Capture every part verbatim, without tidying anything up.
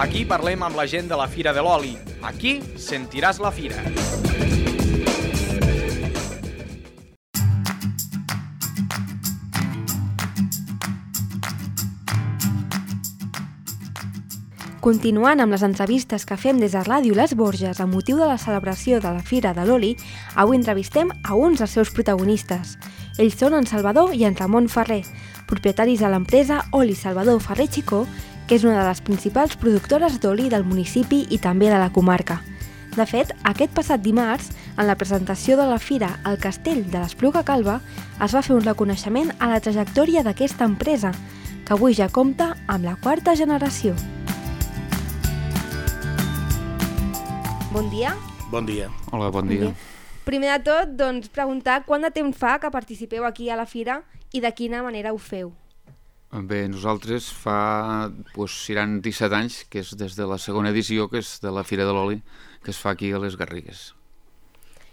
Aquí parlem amb la gent de la Fira de l'Oli. Aquí sentiràs la fira. Continuant amb les entrevistes que fem des de Ràdio Les Borges amb motiu de la celebració de la Fira de l'Oli, avui entrevistem a uns dels seus protagonistes. Ells són en Salvador i en Ramon Ferrer, propietaris de l'empresa Oli Salvador Ferrer Chicó, que és una de les principals productores d'oli del municipi i també de la comarca. De fet, aquest passat dimarts, en la presentació de la fira al Castell de l'Espluga Calba, es va fer un reconeixement a la trajectòria d'aquesta empresa, que avui ja compta amb la quarta generació. Bon dia. Bon dia. Hola, bon dia. Primer de tot, doncs, preguntar quant de temps fa que participeu aquí a la fira i de quina manera ho feu? Bé, nosaltres fa, doncs, seran disset anys, que és des de la segona edició, que és de la Fira de l'Oli, que es fa aquí a les Garrigues.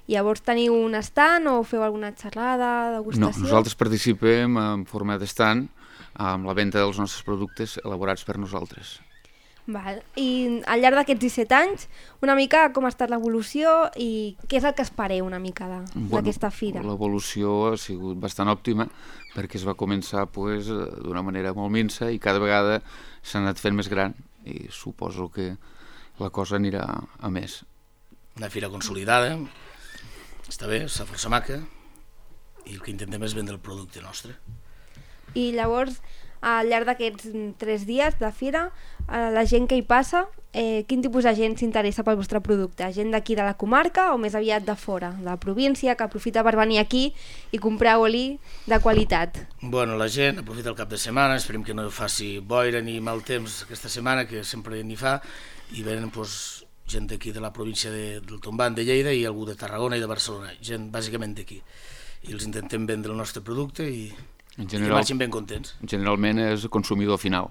Llavors teniu un estand o feu alguna xerrada, degustació? No, nosaltres participem en forma d'estand amb la venda dels nostres productes elaborats per nosaltres. Val. I al llarg d'aquests disset anys, una mica com ha estat l'evolució i què és el que espereu una mica d'aquesta bueno, fira? L'evolució ha sigut bastant òptima perquè es va començar pues, d'una manera molt minsa i cada vegada s'ha anat fent més gran i suposo que la cosa anirà a més. Una fira consolidada, està bé, està força maca i el que intentem és vendre el producte nostre. I llavors, al llarg d'aquests tres dies de fira, la gent que hi passa, eh, quin tipus de gent s'interessa pel vostre producte? Gent d'aquí de la comarca o més aviat de fora, de la província, que aprofita per venir aquí i comprar oli de qualitat? Bueno, la gent aprofita el cap de setmana, esperem que no faci boira ni mal temps aquesta setmana, que sempre n'hi fa, i venen pues, gent d'aquí de la província de, del Tombant, de Lleida, i algú de Tarragona i de Barcelona, gent bàsicament d'aquí. I els intentem vendre el nostre producte i... En general, I que marxin ben contents. Generalment és el consumidor final.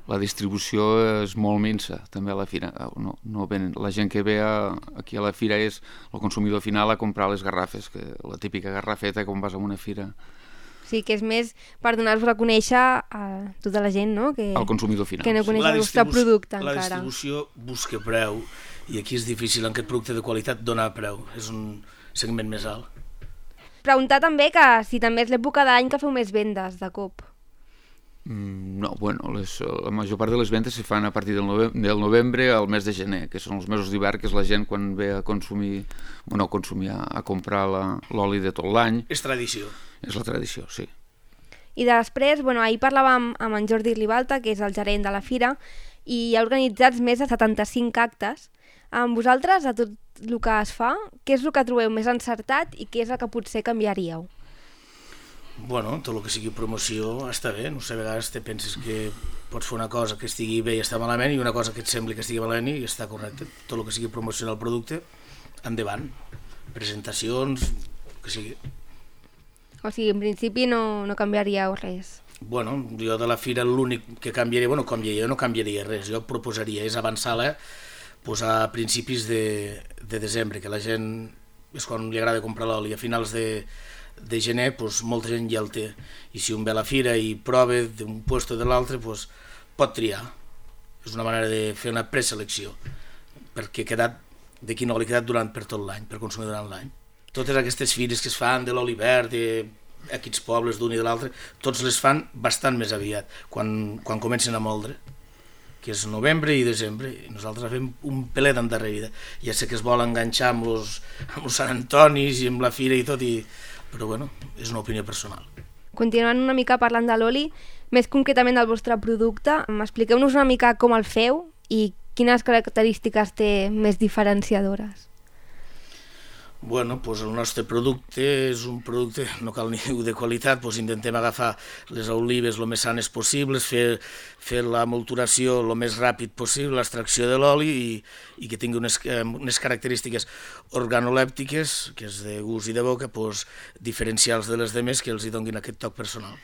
La distribució és molt minsa, també a la fira. No, no ven, la gent que ve a, aquí a la fira és el consumidor final a comprar les garrafes, que la típica garrafeta quan vas a una fira. Sí, que és més per donar-vos a conèixer a tota la gent, no? Que, el consumidor final. Que no coneix el vostre producte la encara. La distribució busca preu i aquí és difícil en aquest producte de qualitat donar preu. És un segment més alt. Preguntar també que si també és l'època d'any que feu més vendes de cop. Mm, no, bueno, les, la major part de les vendes se fan a partir del, nove, del novembre al mes de gener, que són els mesos d'hivern, que és la gent quan ve a consumir, o no a consumir, a, a comprar l'oli de tot l'any. És tradició. És la tradició, sí. I després, bueno, ahir parlàvem amb en Jordi Ribalta, que és el gerent de la fira, i hi ha organitzats més de setanta-cinc actes. Amb vosaltres, a tot el que es fa, què és el que trobeu més encertat i què és el que potser canviaríeu? Bueno, tot el que sigui promoció està bé, no sé, a vegades te penses que pots fer una cosa que estigui bé i està malament i una cosa que et sembli que estigui malament i està correcte. Tot el que sigui promocionar el producte, endavant. Presentacions, el que sigui. O sigui, en principi no, no canviaríeu res. Bueno, jo de la fira l'únic que canviaria, bueno, canviaria, jo no canviaria res, jo proposaria és avançar-la pues, a principis de, de desembre, que la gent és quan li agrada comprar l'oli, a finals de, de gener pues, molta gent ja el té, i si un ve a la fira i prova d'un lloc o de l'altre pues, pot triar. És una manera de fer una preselecció, perquè ha quedat, de quin oli ha quedat durant per tot l'any, per consumir durant l'any. Totes aquestes fires que es fan de l'oli verd, de aquests pobles d'un i de l'altre, tots les fan bastant més aviat, quan, quan comencen a moldre, que és novembre i desembre, i nosaltres fem un pelet endarrerida. Ja sé que es vol enganxar amb els, amb els Sant Antonis i amb la fira i tot, i... però bueno, és una opinió personal. Continuant una mica parlant de l'oli, més concretament del vostre producte, expliqueu-nos una mica com el feu i quines característiques té més diferenciadores. Bueno, doncs el nostre producte és un producte, no cal ni dir de qualitat, doncs intentem agafar les olives el més sanes possibles, fer, fer la molturació el més ràpid possible, l'extracció de l'oli i, i que tingui unes, unes característiques organolèptiques, que és de gust i de boca, doncs, diferencials de les demés que els hi donin aquest toc personal.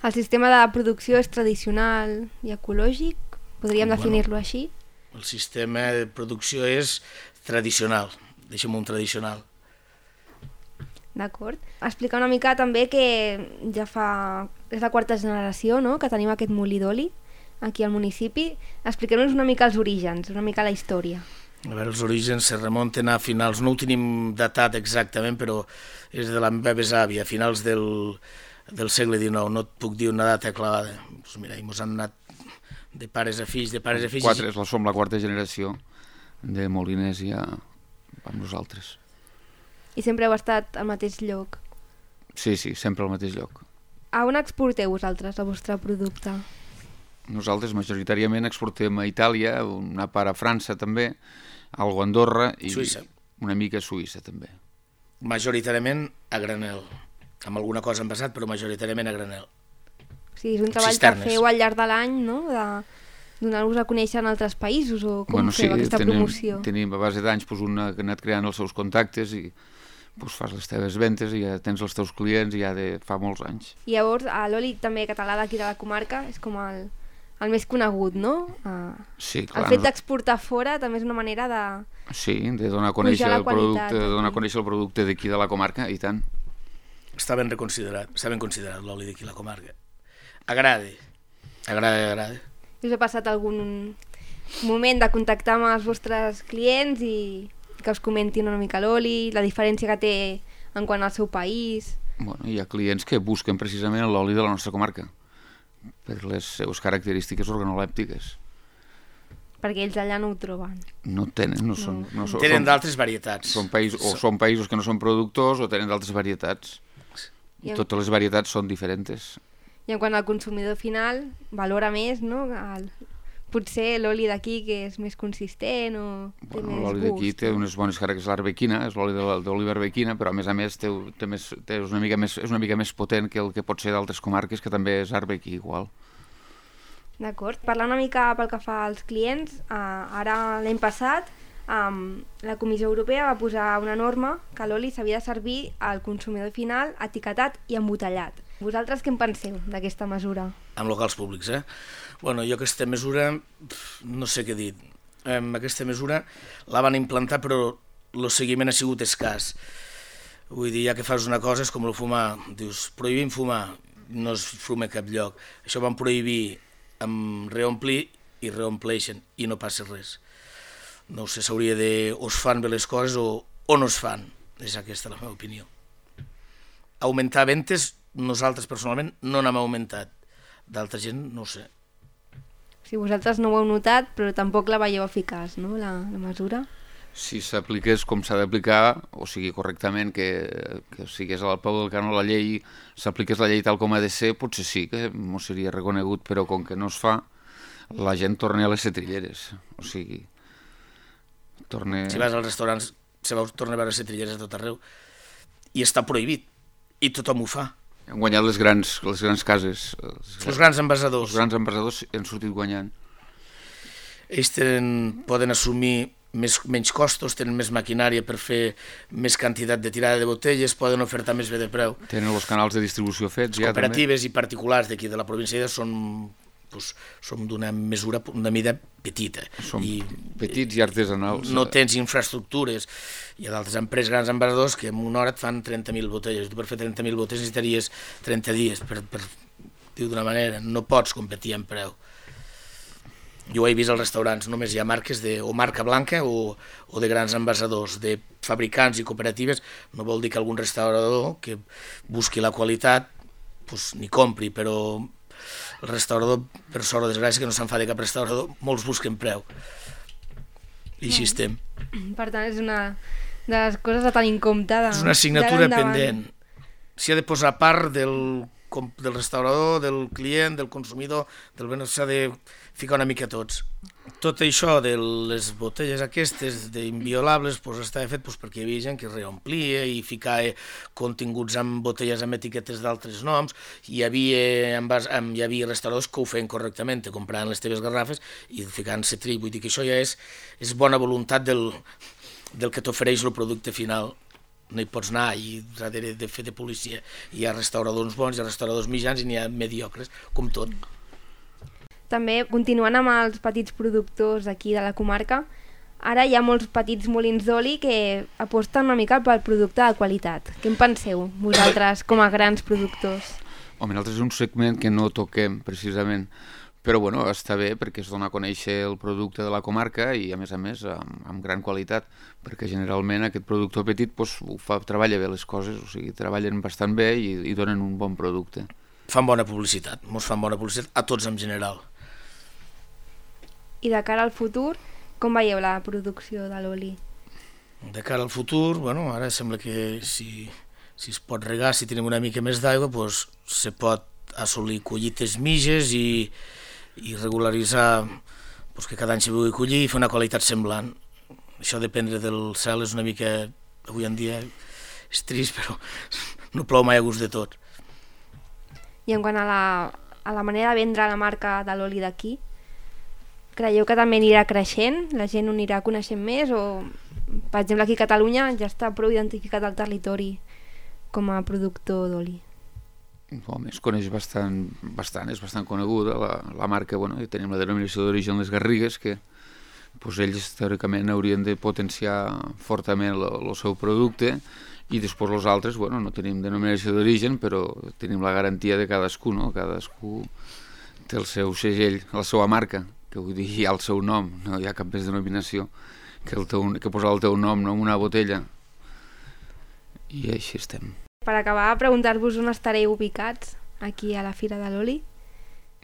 El sistema de producció és tradicional i ecològic? Podríem bueno, definir-lo així? El sistema de producció és tradicional. Deixem un tradicional. D'acord. Explicar una mica també que ja fa... és la quarta generació, no?, que tenim aquest molí d'oli. aquí al municipi. Expliqueu-nos una mica els orígens, una mica la història. A veure, els orígens se remunten a finals, no ho tenim datat exactament, però és de la meva besàvia, a finals del, del segle dinou, no et puc dir una data clavada. Pues mira, ens han anat de pares a fills, de pares a fills... Quatre, som la quarta generació de moliners ja amb nosaltres. I sempre heu estat al mateix lloc? Sí, sí, sempre al mateix lloc. A on exporteu vosaltres el vostre producte? Nosaltres majoritàriament exportem a Itàlia, una part a França també, algo a Andorra i Suïssa. Una mica a Suïssa també. Majoritàriament a granel, amb alguna cosa en passat, però majoritàriament a granel. O sigui, és un treball Cisternes. que feu al llarg de l'any, no?, de donar-vos a conèixer en altres països, o com bueno, feu sí, aquesta tenim, promoció? Tenim a base d'anys pues, una que ha anat creant els seus contactes i pues, fas les teves ventes i ja tens els teus clients ja de fa molts anys. I llavors, l'oli també català d'aquí de la comarca és com el, el més conegut, no? Uh, sí, clar, el fet d'exportar fora també és una manera de... Sí, de donar a conèixer la el qualitat, producte, de donar a aquí. conèixer el producte d'aquí de la comarca, i tant. Està ben reconsiderat, està ben considerat l'oli d'aquí a la comarca. Agrada, agrada, agrada. Us ha passat algun moment de contactar amb els vostres clients i que us comentin una mica l'oli, la diferència que té en quant al seu país? Bueno, hi ha clients que busquen precisament l'oli de la nostra comarca per les seves característiques organolèptiques. Perquè ells allà no ho troben. No tenen, no són... No són Tenen són, d'altres varietats. són països, o són països que no són productors o tenen d'altres varietats. I I en- totes les varietats són diferents. I en quant al consumidor final, valora més, no? El, potser l'oli d'aquí, que és més consistent o té Bueno, més l'oli gust. d'aquí té unes bones característiques, l'arbequina, és l'oli de- d'oliva arbequina, però a més a més té, té més, té és, una mica més, és una mica més potent que el que pot ser d'altres comarques, que també és arbequí igual. D'acord. Parlant una mica pel que fa als clients, eh, ara l'any passat um, la Comissió Europea va posar una norma que l'oli s'havia de servir al consumidor final etiquetat i embotellat. Vosaltres què en penseu d'aquesta mesura? Amb locals públics, eh? Bueno, jo aquesta mesura, pf, no sé què dir. Eh, aquesta mesura la van implantar, però el seguiment ha sigut escàs. Vull dir, ja que fas una cosa és com el fumar. Dius, prohibim fumar, no es fuma a cap lloc. Això van prohibir amb reomplir i reompleixen i no passa res. No sé, s'hauria de... o es fan bé les coses o, o no es fan. És aquesta la meva opinió. Augmentar ventes, nosaltres personalment no n'hem augmentat. D'altra gent, no ho sé. Si vosaltres no ho heu notat, però tampoc la veieu eficaç, no?, la, la mesura. Si s'apliqués com s'ha d'aplicar, o sigui, correctament, que, que sigués al peu del canó la llei, s'apliqués la llei tal com ha de ser, potser sí que m'ho seria reconegut, però com que no es fa, la gent torna a les setrilleres. O sigui, torna... Si vas als restaurants, se va tornar a veure setrilleres a tot arreu. I està prohibit. I tothom ho fa. Han guanyat les grans, les grans cases. Els, Els grans envasadors. els grans envasadors han sortit guanyant. Ells tenen, poden assumir més, menys costos, tenen més maquinària per fer més quantitat de tirada de botelles, poden ofertar més bé de preu. Tenen els canals de distribució fets ja, també. Cooperatives i particulars d'aquí de la província són, doncs, són d'una mesura, una mida petita. Som I petits i artesanals. no tens infraestructures. Hi ha d'altres empreses, grans envasadors, que en una hora et fan trenta mil botelles. Tu per fer trenta mil botelles necessitaries trenta dies, per, per dir d'una manera. No pots competir en preu. Jo ho he vist als restaurants, només hi ha marques de, o marca blanca o, o de grans envasadors, de fabricants i cooperatives. No vol dir que algun restaurador que busqui la qualitat pues, ni compri, però el restaurador, per sort o desgràcia, que no se'n fa de cap restaurador, molts busquen preu. I així estem. Per tant, és una de les coses a tenir en compte. De, És una assignatura d'ara endavant. pendent. S'hi ha de posar part del, com- del restaurador, del client, del consumidor, del benefici, s'ha de ficar una mica tots. Tot això de les botelles aquestes d'inviolables pues, estava fet pues, perquè hi havia gent que reomplia i ficava continguts amb botelles amb etiquetes d'altres noms. Hi havia, envas, amb, hi havia restauradors que ho feien correctament, te compraven les teves garrafes i ficaven cetrill. Vull dir que això ja és, és bona voluntat del, del que t'ofereix el producte final. No hi pots anar i darrere de fer de policia. Hi ha restauradors bons, hi ha restauradors mitjans i n'hi ha mediocres, com tot. També, continuant amb els petits productors aquí de la comarca, ara hi ha molts petits molins d'oli que aposten una mica pel producte de qualitat. Què en penseu, vosaltres, com a grans productors? Home, nosaltres és un segment que no toquem, precisament, Però bueno, està bé perquè es dona a conèixer el producte de la comarca i a més a més amb, amb gran qualitat, perquè generalment aquest productor petit pues, ho fa, treballa bé les coses, o sigui, treballen bastant bé i, i donen un bon producte. Fan bona publicitat, mos fan bona publicitat a tots en general. I de cara al futur, com veieu la producció de l'oli? De cara al futur, bueno, ara sembla que si, si es pot regar, si tenim una mica més d'aigua, pues, se pot assolir collites mitges i i regularitzar doncs, que cada any s'hi vulgui collir i fer una qualitat semblant. Això dependre del cel és una mica, avui en dia és trist, però no plou mai a gust de tot. I en quant a la, a la manera de vendre la marca de l'oli d'aquí, creieu que també anirà creixent? La gent ho anirà coneixent més? O, per exemple, aquí a Catalunya ja està prou identificat el territori com a productor d'oli? Home, es coneix bastant, bastant, és bastant coneguda la, la marca, bueno, i tenim la denominació d'origen Les Garrigues, que pues, ells teòricament haurien de potenciar fortament el seu producte, i després els altres, bueno, no tenim denominació d'origen, però tenim la garantia de cadascú, no? Cadascú té el seu segell, la seva marca, que vull dir, hi ha el seu nom, no hi ha cap més denominació que, el teu, que posar el teu nom no, en una botella, i així estem. Per acabar, preguntar-vos on estareu ubicats, aquí a la Fira de l'Oli.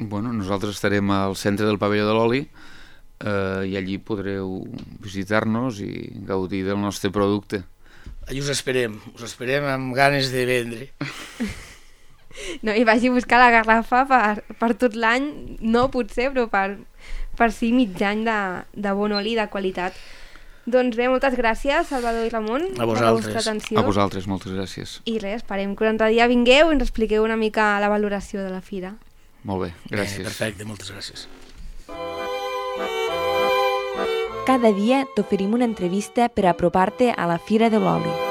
Bueno, nosaltres estarem al centre del pavelló de l'oli eh, i allí podreu visitar-nos i gaudir del nostre producte. Allí us esperem, us esperem amb ganes de vendre. No, i vagi a buscar la garrafa per, per tot l'any, no potser, però per, per sí mig any de, de bon oli de qualitat. Doncs bé, moltes gràcies, Salvador i Ramon, a vosaltres. per la vostra atenció. A vosaltres, moltes gràcies. I res, esperem que un altre dia vingueu i ens expliqueu una mica la valoració de la fira. Molt bé, gràcies. Eh, perfecte, moltes gràcies. Cada dia t'oferim una entrevista per apropar-te a la Fira de l'Oli.